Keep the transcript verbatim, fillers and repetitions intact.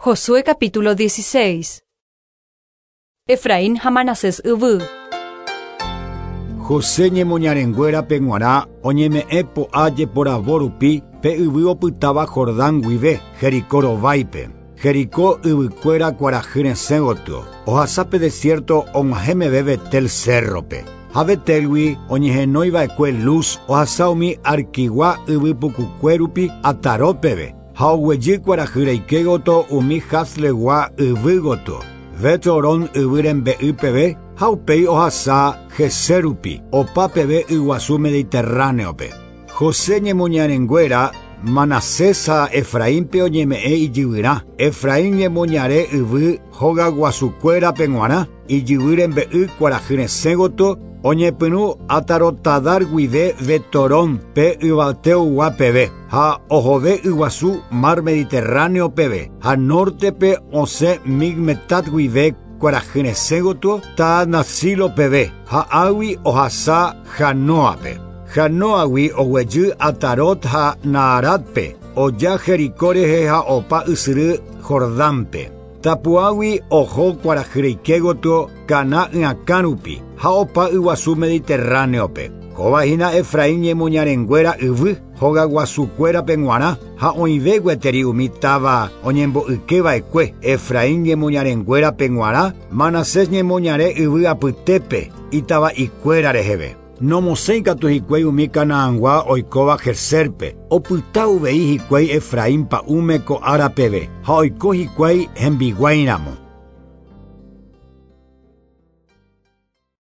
Josué capítulo dieciséis. Efraín ha Manasés yvy. José ñemoñarenguérape g̃uarã oñeme'ẽ po'a jeporavo rupi pe yvy opytáva Jordán guive Jericó rováipe. Jericó yvykuéra kuarahy resẽ gotyo. Ohasa pe desierto og̃uahẽmeve Betel cérrope. Ha Betelgui oñehenóiva'ekue Luz ohasa umi Arquigua yvy pukukue rupi Atarópeve. Ha oguejy kuarahy reike gotyo umi Haslegua yvy gotyo. Bet-Horón yvy rembe'y peve ha upéi ohasa Gezer rupi, opa peve yguasu Mediterráneope. José ñemoñarenguéra Manasés ha Efraínpe oñeme'ẽ ijyvyrã. Efraín ñemoñare yvy hogaguasukuérape g̃uarã, ijyvy rembe'y kuarahy resẽ gotyo oñepyrũ Atarotadar guive Betorón pe yvateogua peve ha ohove yguasu Mar Mediterráneo peve ha nortepe osẽ Migmetat guive kuarahy resẽ gotyo Taanasilo peve ha águi ohasa Janoape. Janoagui oguejy Atarot ha Naaratpe oja Jericó rehe ha opa ysyry Jordánpe. Tapuágui oho kuarahy reike gotyo Caná yakã rupi ha opa yguasu Mediterráneope. Kóva hína Efraín ñemoñarenguéra yvy hogaguasukuérape g̃uarã ha oĩve gueteri umi táva oñembo'ykeva'ekue Efraín ñemoñarenguérape g̃uarã Manasés ñemoñare yvy apytépe itava'ikuéra reheve. Nomosẽi katu hikuái umi Canaangua oikóva Gezerpe, opyta uvei hikuái Efraín pa'ũme ko ára peve ha oiko hikuái hembiguáiramo.